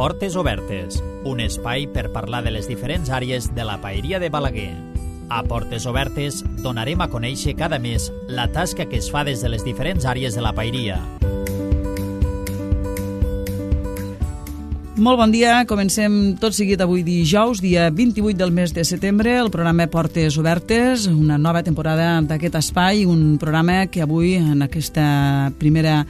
Portes Obertes, un espai per parlar de les diferents àrees de la paeria de Balaguer. A Portes Obertes donarem a conèixer cada mes la tasca que es fa des de les diferents àrees de la paeria. Molt bon dia, comencem tot seguit avui dijous, dia 28 del mes de setembre, el programa Portes Obertes, una nova temporada d'aquest espai, un programa que avui, en aquesta primera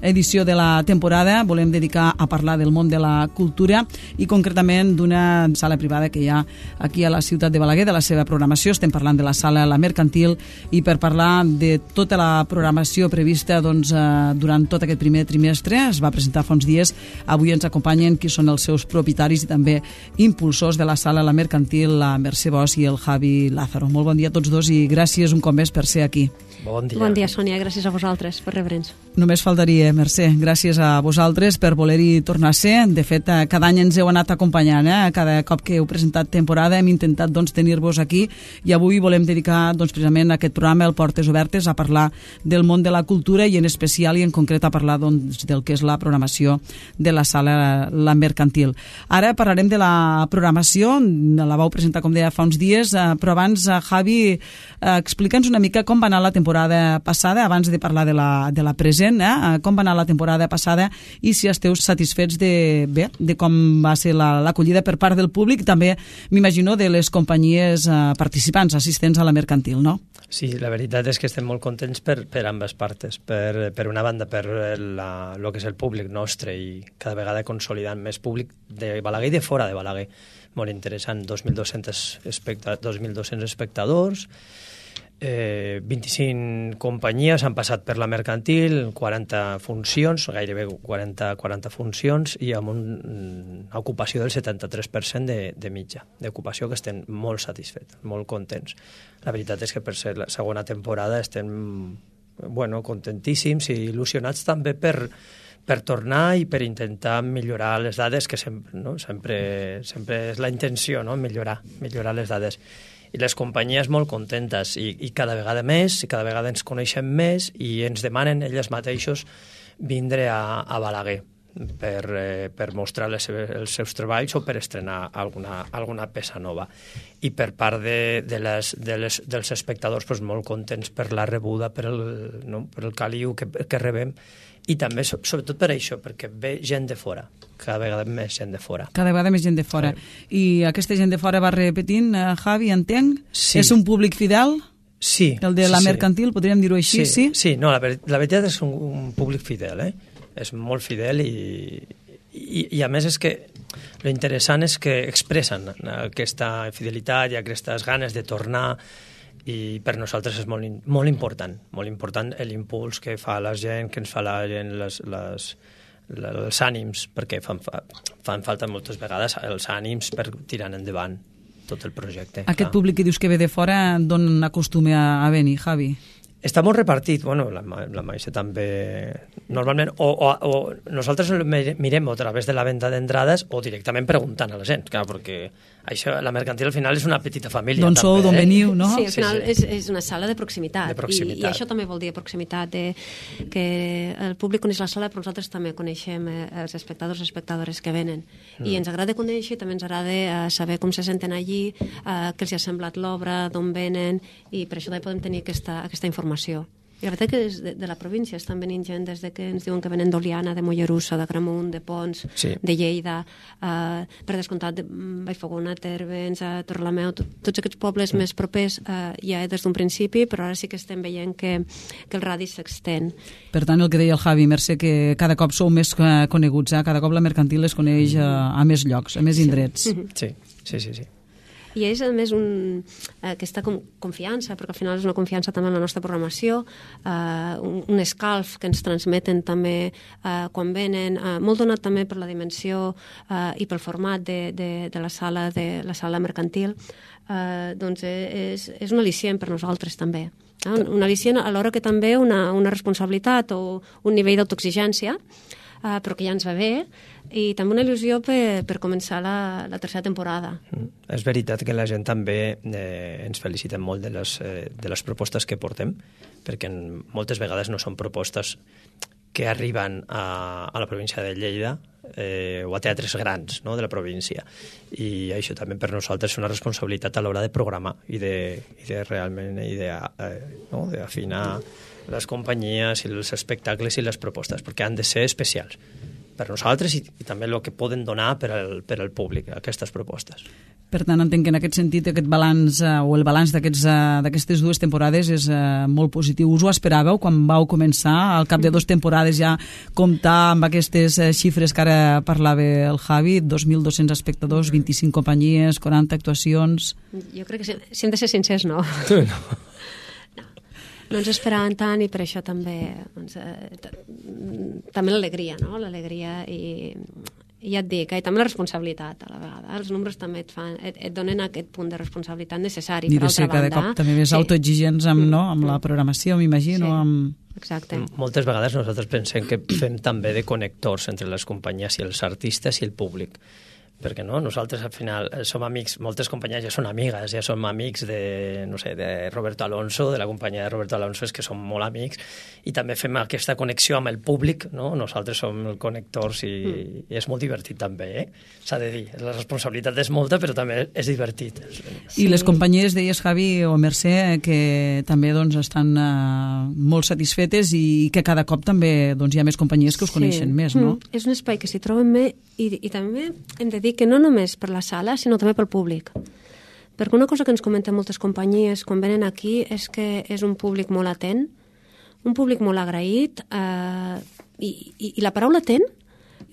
edició de la temporada, volem dedicar a parlar del món de la cultura i concretament d'una sala privada que hi ha aquí a la ciutat de Balaguer, de la seva programació. Estem parlant de la sala La Mercantil, i per parlar de tota la programació prevista durant tot aquest primer trimestre, es va presentar fa uns dies. Avui ens acompanyen qui són els seus propietaris i també impulsors de la sala La Mercantil, la Mercè Bosch i el Javi Lázaro. Molt bon dia a tots dos i gràcies un cop més per ser aquí. Bon dia. Bon dia, Sònia, gràcies a vosaltres per rebre'ns. Només faltaria, Mercè, gràcies a vosaltres per voler-hi tornar a ser. De fet, cada any ens heu anat acompanyant, cada cop que heu presentat temporada hem intentat tenir-vos aquí, i avui volem dedicar precisament a aquest programa, el Portes Obertes, a parlar del món de la cultura i en especial i en concret a parlar del que és la programació de la sala La Mercantil. Ara parlarem de la programació, la vau presentar, com deia, fa uns dies, però abans, Javi, explica'ns una mica com va anar la temporada passada, abans de parlar de la present, com va anar la temporada passada i si esteu satisfets de com va ser l'acollida per part del públic, també m'imagino de les companyies participants, assistents a la Mercantil, no? Sí, la veritat és que estem molt contents per ambes partes. Per una banda, per el que és el públic nostre i cada vegada consolidant més públic de Balaguer i de fora de Balaguer. Molt interessant, 2.200 espectadors, 25 companyies han passat per la Mercantil, 40 funcions, gairebé 40 funcions, i amb una ocupació del 73% de mitja d'ocupació, que estem molt satisfets, molt contents. La veritat és que per ser la segona temporada estem contentíssims i il·lusionats també per tornar i per intentar millorar les dades, que sempre és la intenció, no? millorar les dades. I les companyies molt contentes i cada vegada més, i cada vegada ens coneixem més i ens demanen elles mateixos vindre a Balaguer per mostrar els seus treballs o per estrenar alguna peça nova. I per part dels espectadors, molt contents per la rebuda, per el caliu que rebem, i també, sobretot per això, perquè ve gent de fora, cada vegada més gent de fora. Cada vegada més gent de fora. Sí. I aquesta gent de fora va repetint, Javi, entenc? Sí. És un públic fidel? Sí. El de la Mercantil, podríem dir-ho així, sí? Sí, no, la veritat és un públic fidel, És molt fidel i a més és que l'interessant és que expressen aquesta fidelitat i aquestes ganes de tornar, i per nosaltres és molt important l'impuls que fa la gent, que ens fa la gent, els ànims, perquè fan falta moltes vegades els ànims per tirar endavant tot el projecte. Aquest públic que dius que ve de fora, d'on acostuma a venir, Javi? Està molt repartit, la Maise també, normalment, o nosaltres mirem a través de la venda d'entrades o directament preguntant a la gent, clar, perquè això, la Mercantil al final és una petita família. D'on sou, d'on veniu, no? Sí, al final és una sala de proximitat. I això també vol dir proximitat, que el públic coneix la sala, però nosaltres també coneixem els espectadors i espectadores que venen. I ens agrada conèixer, també ens agrada saber com se senten allí, què els ha semblat l'obra, d'on venen, i per això també podem tenir aquesta informació. I la veritat que de la província estan venint gent des que ens diuen que venen d'Oliana, de Mollerussa, de Gramunt, de Pons, de Lleida, per descomptat de Vallfogona, Térmens, Torrelameu, tots aquests pobles més propers ja des d'un principi, però ara sí que estem veient que el radi s'extén. Per tant, el que deia el Javi, Mercè, que cada cop sou més coneguts, cada cop la Mercantil es coneix a més llocs, a més indrets. Sí. I és, a més, aquesta confiança, perquè al final és una confiança també en la nostra programació, un escalf que ens transmeten també quan venen, molt donat també per la dimensió i pel format de la sala Mercantil, doncs és un al·licient per nosaltres també. Un al·licient alhora que també una responsabilitat o un nivell d'autoexigència, però que ja ens va bé, i també una il·lusió per començar la tercera temporada. És veritat que la gent també ens felicita molt de les propostes que portem, perquè moltes vegades no són propostes que arriben a la província de Lleida o a teatres grans, no?, de la província. I això també per nosaltres és una responsabilitat a l'hora de programar i de realment d'afinar les companyies i els espectacles i les propostes, perquè han de ser especials per nosaltres i també el que poden donar per al públic, aquestes propostes. Per tant, entenc que en aquest sentit aquest balanç o el balanç d'aquestes dues temporades és molt positiu. Us ho esperàveu quan vau començar, al cap de 2 temporades ja comptar amb aquestes xifres que ara parlava el Javi, 2.200 espectadors, 25 companyies, 40 actuacions... Jo crec que si hem de ser sincers, no. No ens esperàvem tant i per això també també l'alegria, no? L'alegria i ja et dic, i també la responsabilitat a la vegada. Els números també et donen aquest punt de responsabilitat necessari. I de ser cada cop també més autoexigents amb la programació, m'imagino. Exacte. Moltes vegades nosaltres pensem que fem també de connectors entre les companyies i els artistes i el públic. Perquè no? Nosaltres al final som amics, moltes companyies ja són amigues, ja som amics de Roberto Alonso, de la companyia de Roberto Alonso, és que som molt amics, i també fem aquesta connexió amb el públic, no? Nosaltres som connectors i és molt divertit també, s'ha de dir. La responsabilitat és molta, però també és divertit. I les companyies, deies, Javi o Mercè, que també estan molt satisfetes i que cada cop també hi ha més companyies que us coneixen més, no? És un espai que s'hi troben més i també hem de dir que no només per la sala, sinó també pel públic. Perquè una cosa que ens comenten moltes companyies quan venen aquí és que és un públic molt atent, un públic molt agraït, i la paraula atent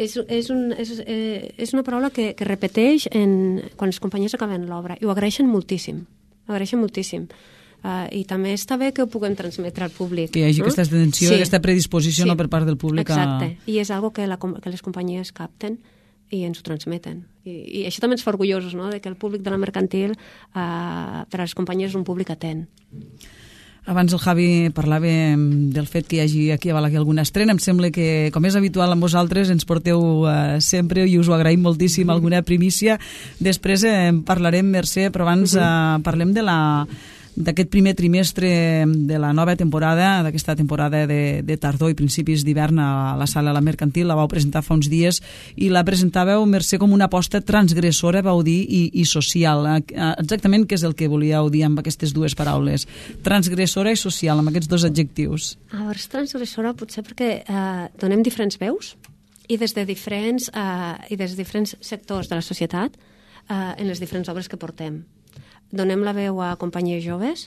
és una paraula que repeteix quan les companyies acaben l'obra, i ho agraeixen moltíssim. I també està bé que ho puguem transmetre al públic. Que hi hagi aquesta atenció, aquesta predisposició per part del públic. Exacte, i és algo que les companyies capten i ens ho transmeten. I això també ens fa orgullosos, no?, de que el públic de la mercantil per a les companyies és un públic atent. Abans el Javi parlava del fet que hi hagi aquí a Balaguer alguna estrena. Em sembla que, com és habitual amb vosaltres, ens porteu sempre, i us ho agraïm moltíssim, alguna primícia. Després parlarem, Mercè, però abans parlem d'aquest primer trimestre de la nova temporada, d'aquesta temporada de tardor i principis d'hivern a la sala La Mercantil. La vau presentar fa uns dies i la presentàveu, Mercè, com una aposta transgressora, vau dir, i social. Exactament què és el que volíeu dir amb aquestes dues paraules? Transgressora i social, amb aquests 2 adjectius. A veure, transgressora potser perquè donem diferents veus i des de diferents sectors de la societat en les diferents obres que portem. Donem la veu a companyies joves,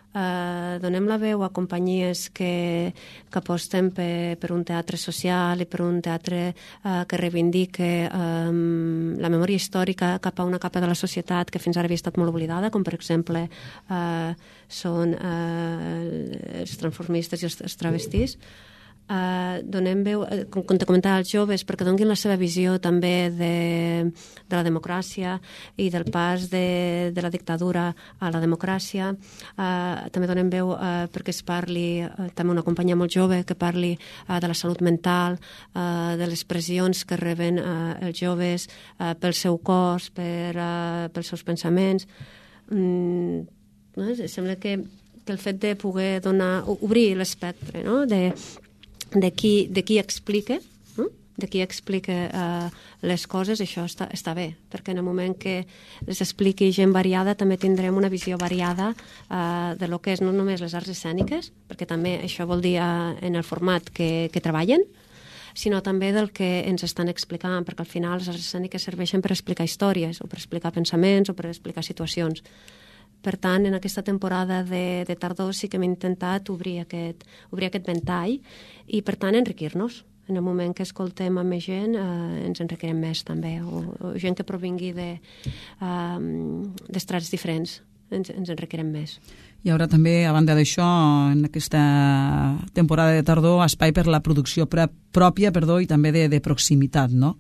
donem la veu a companyies que aposten per un teatre social i per un teatre que reivindique la memòria històrica cap a una capa de la societat que fins ara havia estat molt oblidada, com per exemple són els transformistes i els travestís. Donem veu, com te comentava, als joves perquè donin la seva visió també de la democràcia i del pas de la dictadura a la democràcia. També donem veu perquè es parli, també una companyia molt jove, que parli de la salut mental, de les pressions que reben els joves pel seu cos, pels seus pensaments. Sembla que el fet de poder obrir l'espectre, no?, de qui explica les coses, això està bé, perquè en el moment que les expliqui gent variada també tindrem una visió variada de lo que és no només les arts escèniques, perquè també això vol dir en el format que treballen, sinó també del que ens estan explicant, perquè al final les arts escèniques serveixen per explicar històries, o per explicar pensaments, o per explicar situacions. Per tant, en aquesta temporada de tardor sí que hem intentat obrir aquest ventall i, per tant, enriquir-nos. En el moment que escoltem a més gent, ens enriquirem més, també. O gent que provingui d'estrats diferents, ens enriquirem més. Hi haurà també, a banda d'això, en aquesta temporada de tardor, espai per la producció pròpia i també de proximitat, no?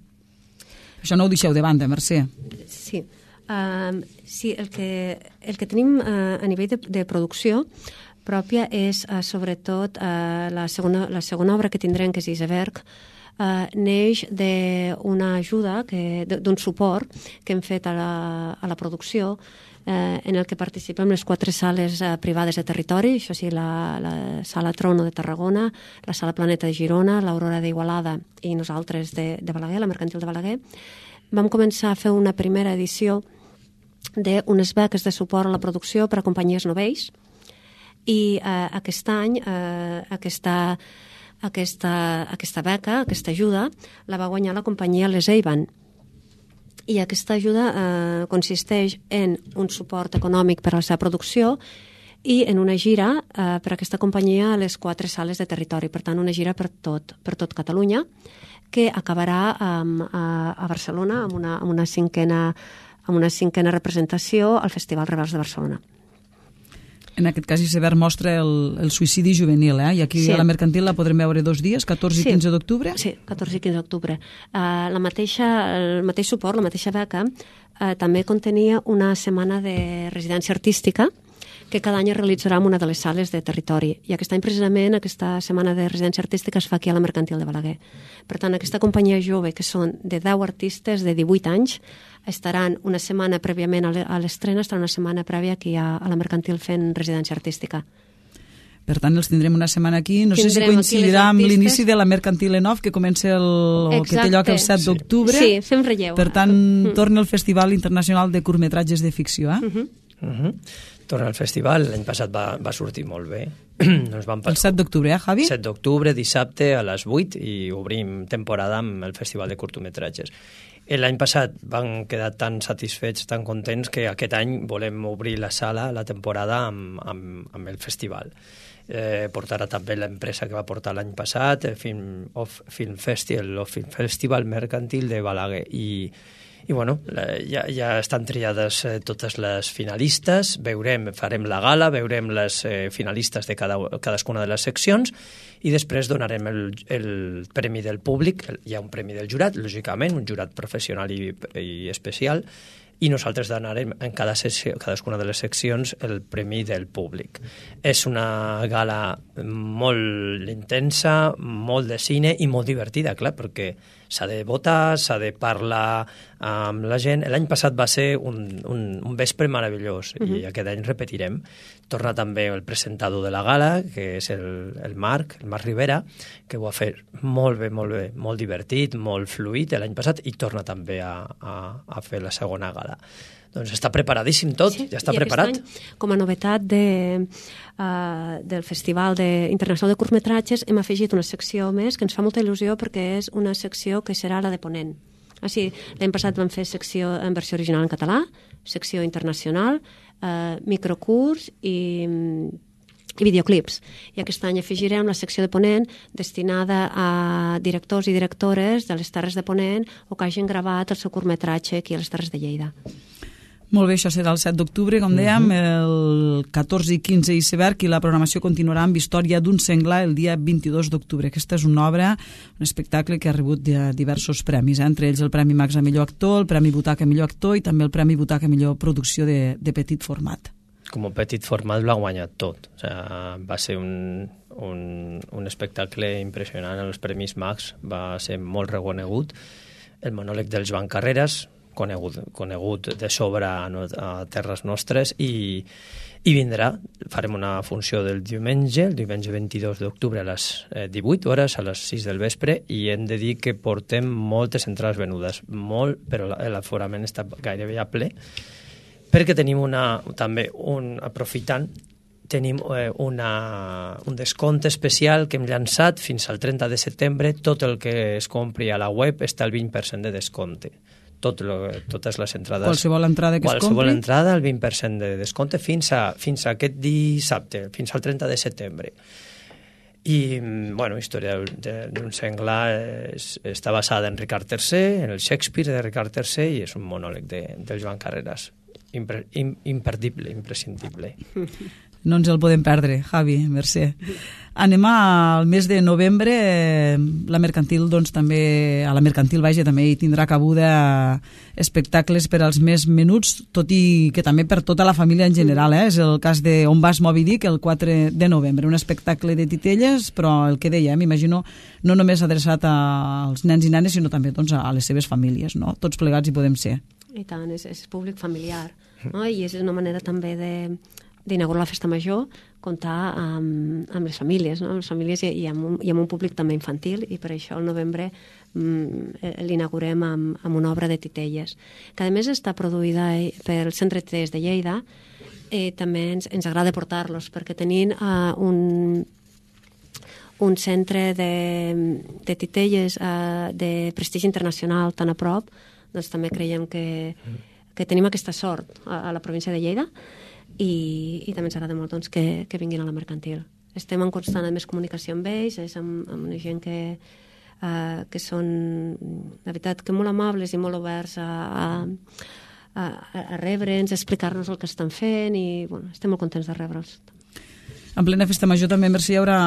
Això no ho deixeu de banda, Mercè. Sí. Sí, el que tenim a nivell de producció pròpia és sobretot la segona obra que tindrem, que és Iceberg, neix d'una ajuda, d'un suport que hem fet a la producció, en el que participem les 4 sales privades de territori, això sí, la Sala Trono de Tarragona, la Sala Planeta de Girona, l'Aurora d'Igualada i nosaltres de Balaguer, la Mercantil de Balaguer. Vam començar a fer una primera edició d'unes beques de suport a la producció per a companyies novells, i aquest any aquesta beca, aquesta ajuda, la va guanyar la companyia Les Eiban. I aquesta ajuda consisteix en un suport econòmic per a la seva producció i en una gira per a aquesta companyia a les 4 sales de territori. Per tant, una gira per tot Catalunya, que acabarà a Barcelona amb una cinquena representació al Festival Rebels de Barcelona. En aquest cas, Iceberg mostra el suïcidi juvenil, i aquí a la Mercantil la podrem veure 2 dies, 14 i 15 d'octubre? Sí, 14 i 15 d'octubre. El mateix suport, la mateixa beca, també contenia una setmana de residència artística que cada any es realitzarà en una de les sales de territori. I aquest any, precisament, aquesta setmana de residència artística es fa aquí a la Mercantil de Balaguer. Per tant, aquesta companyia jove, que són de 10 artistes de 18 anys, estaran una setmana prèviament a l'estrena, estaran una setmana prèvia aquí a la Mercantil fent residència artística. Per tant, els tindrem una setmana aquí. No sé si coincidirà amb l'inici de la Mercantil Enov, que comença que té lloc el 7 d'octubre. Sí, fem relleu. Per tant, torna el Festival Internacional de Curtmetratges de Ficció. Torna al festival. L'any passat va sortir molt bé. El 7 d'octubre, Javi? 7 d'octubre, dissabte a les 8, i obrim temporada amb el Festival de Curtmetratges. L'any passat van quedar tan satisfets, tan contents, que aquest any volem obrir la sala, la temporada, amb el festival. Portarà també l'empresa que va portar l'any passat, el Film Festival Mercantil de Balaguer. I bueno, ja estan triades totes les finalistes, farem la gala, veurem les finalistes de cadascuna de les seccions, i després donarem el premi del públic. Hi ha un premi del jurat, lògicament, un jurat professional i especial, i nosaltres donarem en cadascuna de les seccions el premi del públic. És una gala molt intensa, molt de cine i molt divertida, clar, perquè s'ha de votar, s'ha de parlar amb la gent. L'any passat va ser un vespre meravellós, i aquest any repetirem. Torna també el presentador de la gala, que és el Marc Rivera, que ho ha fet molt bé, molt divertit, molt fluid l'any passat, i torna també a fer la segona gala. Doncs està preparadíssim tot, ja està preparat. Aquest any, com a novetat del Festival Internacional de Curtmetratges, hem afegit una secció més que ens fa molta il·lusió, perquè és una secció que serà la de ponent. L'any passat vam fer secció en versió original en català, secció internacional, microcurs i videoclips. I aquest any afegirem la secció de ponent destinada a directors i directores de les Terres de Ponent o que hagin gravat el seu curtmetratge aquí a les Terres de Lleida. Molt bé, això serà el 7 d'octubre, com dèiem, el 14 i 15 Iceberg, i la programació continuarà amb Història d'un senglar el dia 22 d'octubre. Aquesta és una obra, un espectacle que ha rebut diversos premis, entre ells el Premi Max a millor actor, el Premi Butaca a millor actor i també el Premi Butaca a millor producció de petit format. Com a petit format l'ha guanyat tot. Va ser un espectacle impressionant. Els Premis Max va ser molt reconegut. El monòleg del Joan Carreras, conegut de sobre a terres nostres, i vindrà. Farem una funció el diumenge 22 d'octubre a les 18 hores, a les 6 del vespre, i hem de dir que portem moltes entrades venudes, però l'aforament està gairebé a ple, perquè tenim aprofitant, tenim un descompte especial que hem llançat fins al 30 de setembre. Tot el que es compri a la web està al 20% de descompte. Totes les entrades. Qualsevol entrada que es compri? Qualsevol entrada, el 20% de descompte fins a aquest dissabte, fins al 30 de setembre. I, Història d'un senglar està basada en Ricard III, en el Shakespeare de Ricard III, i és un monòleg del Joan Carreras. Imperdible, imprescindible. No ens el podem perdre, Javi, merci. Anem al mes de novembre, la mercantil, doncs també, a la mercantil, vaja, també hi tindrà cabuda espectacles per als més menuts, tot i que també per tota la família en general, És el cas de On vas Moby Dick, el 4 de novembre, un espectacle de titelles, però el que deia, m'imagino, no només adreçat als nens i nenes, sinó també doncs, a les seves famílies, no? Tots plegats hi podem ser. I tant, és públic familiar, no? I és una manera també d'inaugurar la festa major, comptar amb les famílies, no? Les famílies i amb un públic també infantil, i per això al novembre l'inaugurem amb una obra de titelles, que a més està produïda pel Centre de Titelles de Lleida. També ens agrada portar-los, perquè tenint un centre de titelles de prestigi internacional tan a prop, doncs també creiem que tenim aquesta sort a la província de Lleida, i també ens agrada molt doncs, que vinguin a la mercantil. Estem en constant més comunicació amb ells, és amb una gent que són, de veritat, que molt amables i molt oberts a rebre'ns, a explicar-nos el que estan fent, i bueno, estem molt contents de rebre'ls. En plena festa major també, Mercè, hi haurà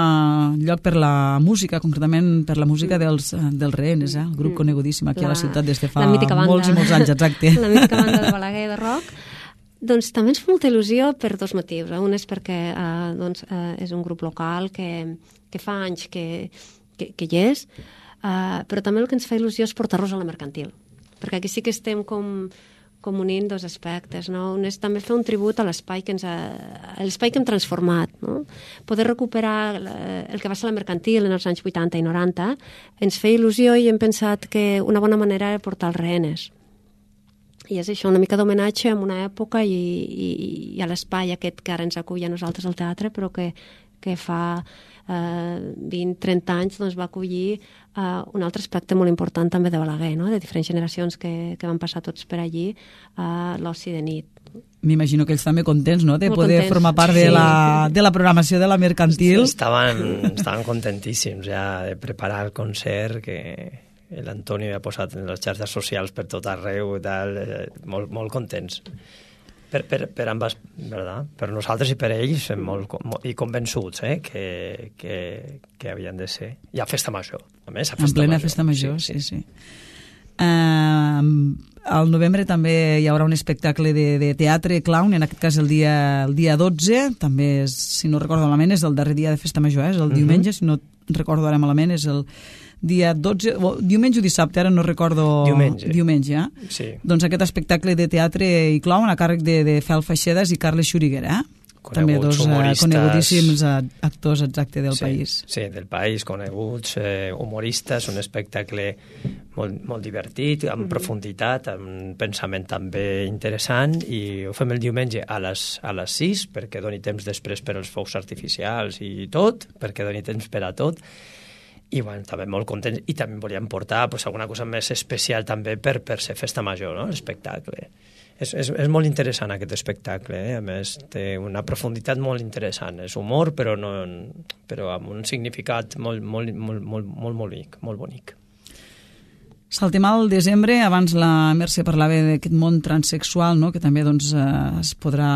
lloc per la música, concretament per la música dels Rehenes, el grup conegudíssim aquí a la ciutat des de fa molts i molts anys, exacte. La mítica banda de Balaguer de rock. Doncs també ens fa molta il·lusió per dos motius. Un és perquè és un grup local que fa anys que hi és, però també el que ens fa il·lusió és portar-los a la mercantil, perquè aquí sí que estem com unint dos aspectes, no? Un és també fer un tribut a l'espai que hem transformat, no? Poder recuperar el que va ser la mercantil en els anys 80 i 90 ens feia il·lusió, i hem pensat que una bona manera era portar els Rehenes. I és això, una mica d'homenatge a una època i a l'espai aquest que ara ens acull a nosaltres al teatre, però que fa 20-30 anys doncs, va acollir un altre aspecte molt important també de Balaguer, no? De diferents generacions que van passar tots per allí, l'oci de nit. M'imagino que ells també contents, no?, de poder formar part de la programació de la mercantil. Estaven contentíssims ja de preparar el concert, que l'Antoni ha posat en les xarxes socials per tot arreu i tal, molt contents. Per ambas, ¿verdad? Per nosaltres i per ells, i convençuts que havien de ser. Hi ha festa major, a més, en plena festa major, sí. Al novembre també hi haurà un espectacle de teatre clown, en aquest cas el dia 12, també, si no recordo malament, és el darrer dia de festa major, és el diumenge, si no recordo ara malament, és el dia 12, diumenge o dissabte, ara no recordo... Diumenge, Sí. Doncs aquest espectacle de teatre i clown a càrrec de Fel Feixedes i Carles Xuriguer, també dos conegudíssims actors exacte del país. Sí, del país, coneguts, humoristes, un espectacle molt divertit, amb profunditat, amb un pensament també interessant, i ho fem el diumenge a les 6, perquè doni temps després per als focs artificials i tot, perquè doni temps per a tot. I bueno, també molt contents, i també volíem portar alguna cosa més especial també per ser festa major, no? L'espectacle. És molt interessant aquest espectacle, a més té una profunditat molt interessant, és humor però amb un significat molt bonic. Saltem al desembre, abans la Mercè parlava d'aquest món transsexual, no?, que també doncs, es podrà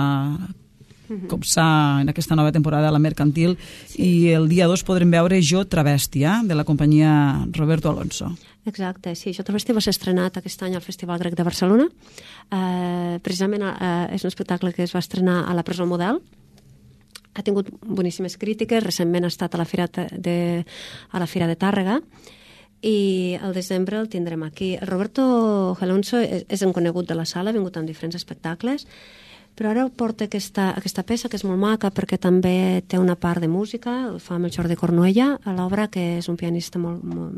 copsar en aquesta nova temporada a la mercantil, i el dia 2 podrem veure Jo Travesti, de la companyia Roberto Alonso. Exacte, sí, Jo Travesti va ser estrenat aquest any al Festival Grec de Barcelona. Precisament és un espectacle que es va estrenar a la Presó Model. Ha tingut boníssimes crítiques, recentment ha estat a la Fira de Tàrrega, i al desembre el tindrem aquí. El Roberto Alonso és un conegut de la sala, ha vingut en diferents espectacles, però ara porta aquesta peça, que és molt maca, perquè també té una part de música, el fa amb el Jordi Cornuella a l'obra, que és un pianista molt bo.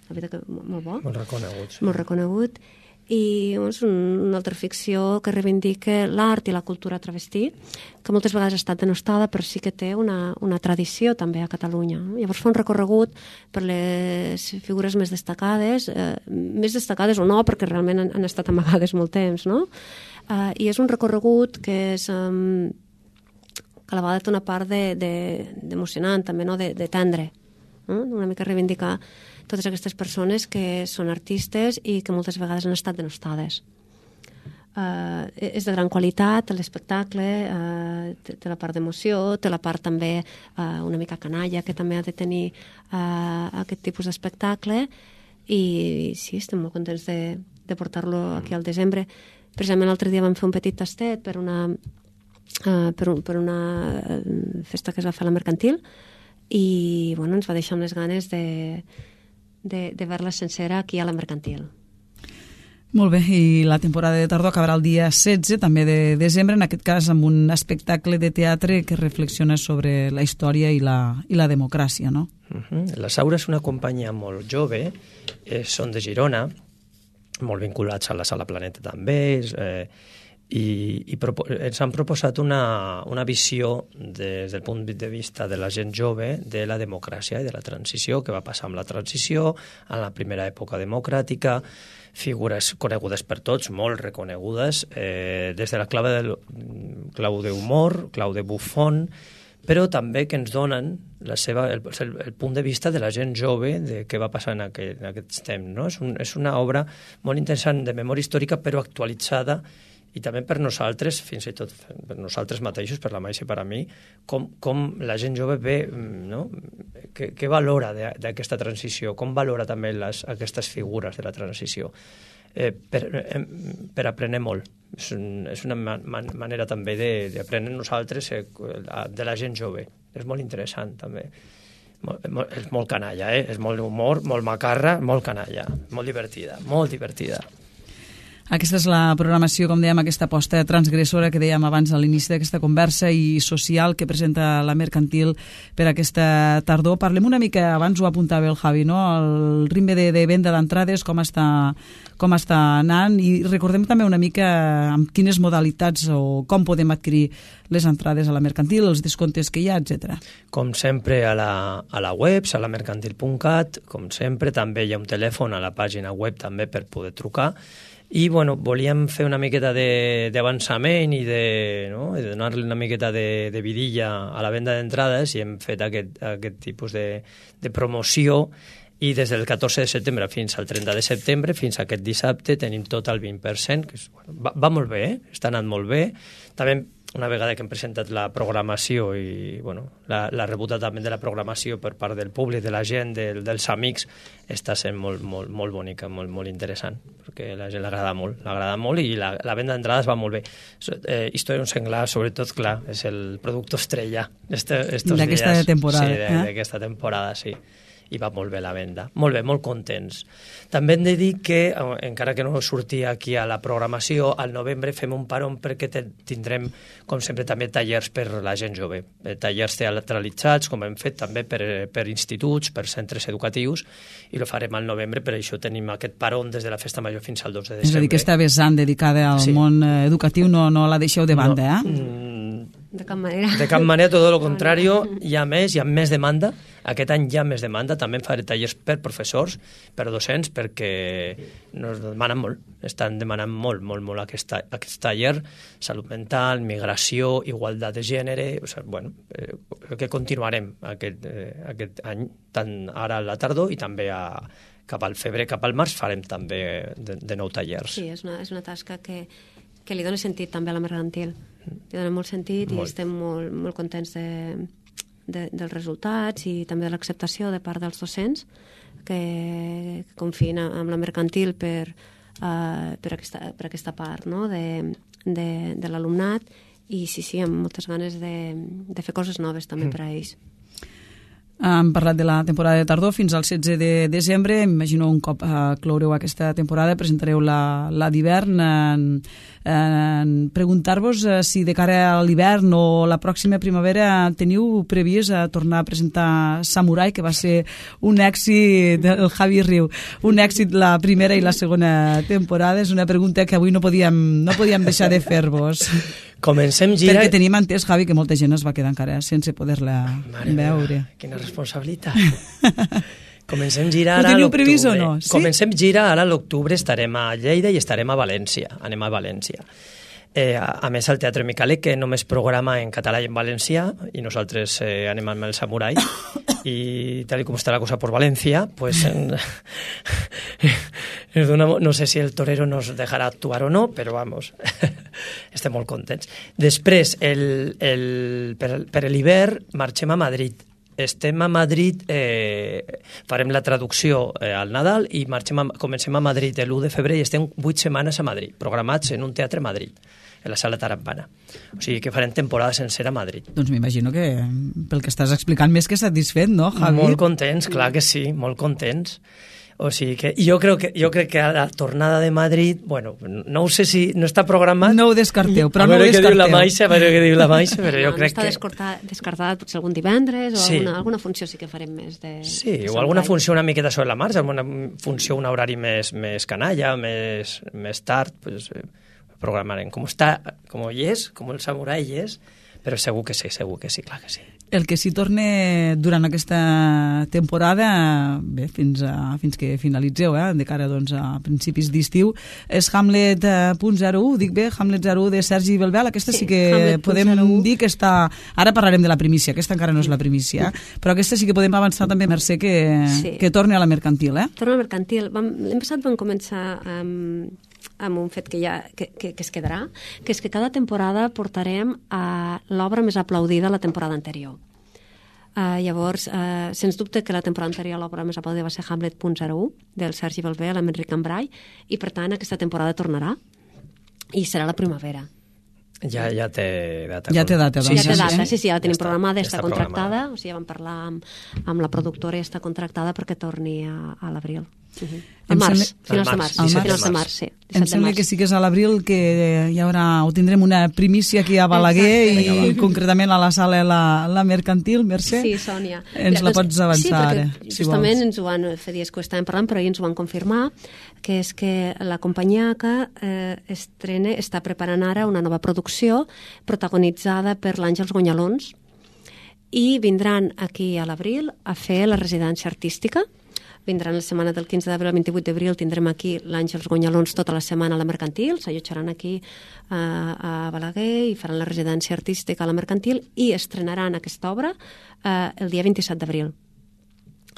Molt reconegut. Molt reconegut. I és una altra ficció que reivindica l'art i la cultura travestí, que moltes vegades ha estat denostada, però sí que té una tradició també a Catalunya. Llavors fa un recorregut per les figures més destacades o no, perquè realment han estat amagades molt temps, no? I és un recorregut que és que a la vegada té una part d'emocionant també, no? De tendre, no? Una mica reivindicar totes aquestes persones que són artistes i que moltes vegades han estat denostades. és de gran qualitat, l'espectacle, té la part d'emoció, té la part també una mica canalla, que també ha de tenir aquest tipus d'espectacle, i sí, estem molt contents de portar-lo aquí al desembre. Precisament l'altre dia vam fer un petit tastet per una festa que es va fer a la Mercantil, i bueno, ens va deixar amb les ganes de veure-la sencera aquí a la Mercantil. Molt bé, i la temporada de tardor acabarà el dia 16, també de desembre, en aquest cas amb un espectacle de teatre que reflexiona sobre la història i la democràcia, no? La Saura és una companyia molt jove, són de Girona, molt vinculats a la Sala Planeta també, i ens han proposat una visió des del punt de vista de la gent jove de la democràcia i de la transició, que va passar amb la transició, en la primera època democràtica, figures conegudes per tots, molt reconegudes, des de la clau d'humor, clau de bufón, però també que ens donen el punt de vista de la gent jove de què va passar en aquests temps. No? És una obra molt interessant de memòria històrica, però actualitzada, i també per nosaltres, fins i tot per nosaltres mateixos, per la Maisha i per a mi, com la gent jove ve, no? Què valora d'aquesta transició, com valora també aquestes figures de la transició. Per aprendre molt. És una manera també d'aprendre nosaltres de la gent jove. És molt interessant també. És molt canalla, és molt humor, molt macarra, molt canalla, molt divertida, molt divertida. Aquesta és la programació, com dèiem, aquesta aposta transgressora que dèiem abans a l'inici d'aquesta conversa i social que presenta la Mercantil per aquesta tardor. Parlem una mica, abans ho apuntava el Javi, no? El ritme de venda d'entrades, com està anant, i recordem també una mica amb quines modalitats o com podem adquirir les entrades a la Mercantil, els descomptes que hi ha, etc. Com sempre a la web, salamercantil.cat, com sempre també hi ha un telèfon a la pàgina web també per poder trucar. I bueno, volíem fer una miqueta d'avançament i de donar-li una miqueta de vidilla a la venda d'entrades, i hem fet aquest tipus de promoció, i des del 14 de setembre fins al 30 de setembre, fins a aquest dissabte, tenim tot el 20%, que va molt bé, està anant molt bé. També una vegada que hem presentat la programació i la rebuda també de la programació per part del públic, de la gent, dels amics, està sent molt bonica, molt interessant, perquè a la gent l'agrada molt i la venda d'entrades va molt bé. Història d'un senglar, sobretot, clar, és el producte estrella d'aquesta temporada. Sí, d'aquesta temporada, sí. I va molt bé la venda. Molt bé, molt contents. També hem de dir que, encara que no sortia aquí a la programació, al novembre fem un paron perquè tindrem, com sempre, també tallers per la gent jove. Tallers teatralitzats, com hem fet també per instituts, per centres educatius, i ho farem al novembre, per això tenim aquest paron des de la Festa Major fins al 12 de desembre. És a dir, que aquesta vessant dedicada al món educatiu no la deixeu de banda, De cap manera. De cap manera, tot el contrari, hi ha més demanda. Aquest any hi ha més demanda. També faré tallers per professors, per docents, perquè ens demanen molt. Estan demanant molt aquest taller. Salut mental, migració, igualtat de gènere. Que continuarem aquest any, tant ara a la tardor i també cap al febrer, cap al març, farem també de nou tallers. Sí, és una tasca que li dona sentit també a la Mercantil. Li dona molt sentit i estem molt contents dels resultats i també de l'acceptació de part dels docents que confien en la Mercantil per aquesta part, no? de l'alumnat, i sí, amb moltes ganes de fer coses noves també per a ells. Hem parlat de la temporada de tardor fins al 16 de desembre. Imagino un cop cloureu aquesta temporada presentareu la d'hivern. Preguntar-vos si de cara a l'hivern o la pròxima primavera teniu previst tornar a presentar Samurai, que va ser un èxit del Javi Riu, un èxit la primera i la segona temporada. És una pregunta que avui no podíem deixar de fer-vos. Comencem girar... Perquè tenim entès, Javi, que molta gent es va quedar encara sense poder-la veure. Quina responsabilitat. Comencem girar ara a l'octubre. Ho teniu previst o no? Sí? Comencem girar ara a l'octubre, estarem a Lleida i estarem a València. Anem a València. A més, el Teatre Micalet, que només programa en català i en valencià, i nosaltres anem amb el Samurai, i tal com està la cosa per València, pues, No sé si el torero nos dejarà actuar o no, però vamos, estem molt contents. Després, per l'hivern, marxem a Madrid. Estem a Madrid, farem la traducció al Nadal i comencem a Madrid l'1 de febrer i estem 8 setmanes a Madrid, programats en un teatre a Madrid, en la Sala Tarambana. O sigui que farem temporada sencera a Madrid. Doncs m'imagino que pel que estàs explicant més que satisfet, no, Javi? Molt contents, clar que sí, molt contents. O sigui que jo crec que a la tornada de Madrid, bueno, no ho sé si no està programat. No ho descarteu, però no ho A descarteu. veure què diu la Maixa, però jo crec que... No està descartat potser algun divendres o alguna funció sí que farem més de... Sí, o alguna funció una miqueta sobre la marxa, alguna funció, un horari més canalla, més tard, pues, programarem. Com hi és, com el samurai hi és, però segur que sí, clar que sí. El que sí torna durant aquesta temporada, bé, fins que finalitzeu, de cara doncs, a principis d'estiu, és Hamlet .01, dic bé, Hamlet 01 de Sergi Belbel. Aquesta sí que podem dir que està... Ara parlarem de la primícia, aquesta encara no és la primícia, però aquesta sí que podem avançar també, Mercè, que torni a la mercantil. Torna a la mercantil. L'any passat vam començar amb un fet que es quedarà, que és que cada temporada portarem l'obra més aplaudida la temporada anterior. Llavors, sens dubte que la temporada anterior l'obra més aplaudida va ser Hamlet .01 del Sergi Belbel amb Enric Cambrai, i per tant aquesta temporada tornarà i serà la primavera. Ja té data. Ja té data, doncs. Ja té data, sí, ja la tenim programada, està contractada, o sigui, ja vam parlar amb la productora i està contractada perquè torni a l'abril. Al març, finals de març, sí. Em sembla que sí que és a l'abril que hi haurà, o tindrem una primícia aquí a Balaguer i concretament a la sala la mercantil, Mercè. Sí, Sònia. Ens la pots avançar ara, si vols. Justament ens ho van fer dies que ho estàvem parlant, però ahir ens ho van confirmar, que és que la companyia ACA està preparant ara una nova producció protagonitzada per l'Àngels Gonyalons i vindran aquí a l'abril a fer la residència artística. Vindran la setmana del 15 d'abril al 28 d'abril, tindrem aquí l'Àngels Gonyalons tota la setmana a la mercantil, s'allotjaran aquí a Balaguer i faran la residència artística a la mercantil i estrenaran aquesta obra el dia 27 d'abril.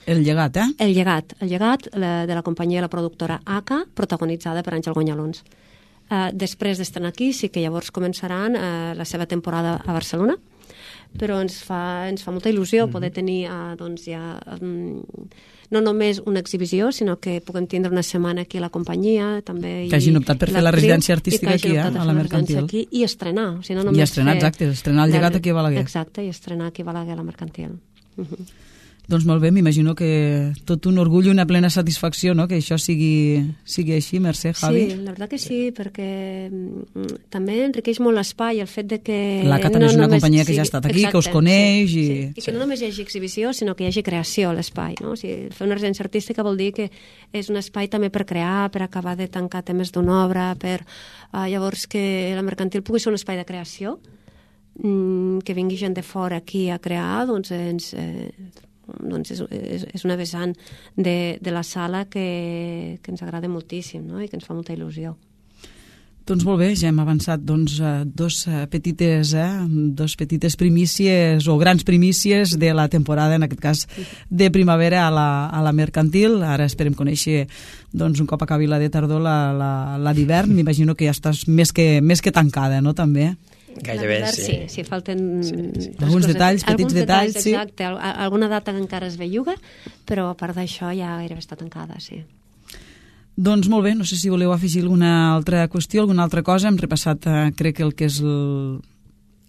El llegat, El llegat de la companyia i la productora ACA, protagonitzada per Àngel Gonyalons. Després d'estrenar aquí, sí que llavors començaran la seva temporada a Barcelona, però ens fa molta il·lusió poder tenir doncs ja no només una exhibició, sinó que puguem tindre una setmana aquí a la companyia, també... Que hagin optat per fer la residència artística aquí, a la mercantil. I estrenar. O sigui, no i estrenar, exacte, estrenar el llegat aquí a Balaguer. Exacte, i estrenar aquí a Balaguer a la mercantil. Doncs molt bé, m'imagino que tot un orgull i una plena satisfacció, no?, que això sigui així, Mercè, Javi. Sí, la veritat que sí, perquè també enriqueix molt l'espai el fet de que... L'ACA també és una companyia que ja ha estat aquí, que us coneix... I que no només hi hagi exhibició, sinó que hi hagi creació a l'espai, no? O sigui, fer una residència artística vol dir que és un espai també per crear, per acabar de tancar temes d'una obra, per llavors que la mercantil pugui ser un espai de creació, que vingui gent de fora aquí a crear, doncs és una vessant de la sala que ens agrada moltíssim, no? I que ens fa molta il·lusió. Doncs molt bé, ja hem avançat dos petites primícies o grans primícies de la temporada, en aquest cas de primavera a la mercantil. Ara esperem conèixer un cop acabi la de tardor la d'hivern. M'imagino que ja estàs més que tancada, no, també? Gairebé, sí, falten... Alguns detalls, petits detalls, sí. Exacte, alguna data que encara es belluga, però a part d'això ja gairebé està tancada, sí. Doncs molt bé, no sé si voleu afegir alguna altra qüestió, alguna altra cosa. Hem repassat, crec, el que és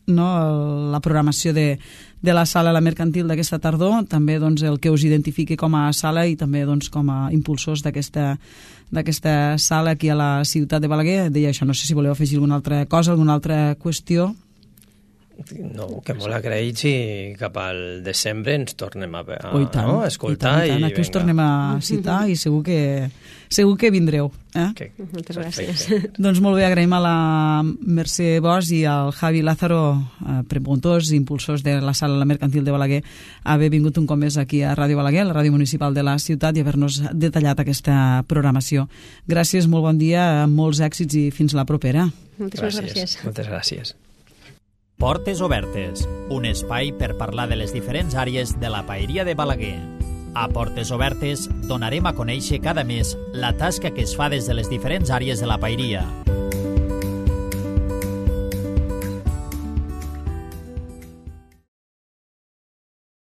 la programació de la sala a la mercantil d'aquesta tardor, també el que us identifiqui com a sala i també com a impulsors d'aquesta sala aquí a la ciutat de Balaguer. Deia això, no sé si voleu afegir alguna altra cosa, alguna altra qüestió. No, que molt agraïts i cap al desembre ens tornem a escoltar i aquí us tornem a citar i segur que vindreu. Moltes gràcies. Doncs molt bé, agraïm a la Mercè Bosch i al Javi Lázaro, promotors i impulsors de la sala La Mercantil de Balaguer, haver vingut un cop més aquí a Ràdio Balaguer, la ràdio municipal de la ciutat, i haver-nos detallat aquesta programació. Gràcies, molt bon dia, molts èxits i fins la propera. Moltes gràcies. Moltes gràcies. Portes Obertes, un espai per parlar de les diferents àrees de la paeria de Balaguer. A Portes Obertes donarem a conèixer cada mes la tasca que es fa des de les diferents àrees de la paeria.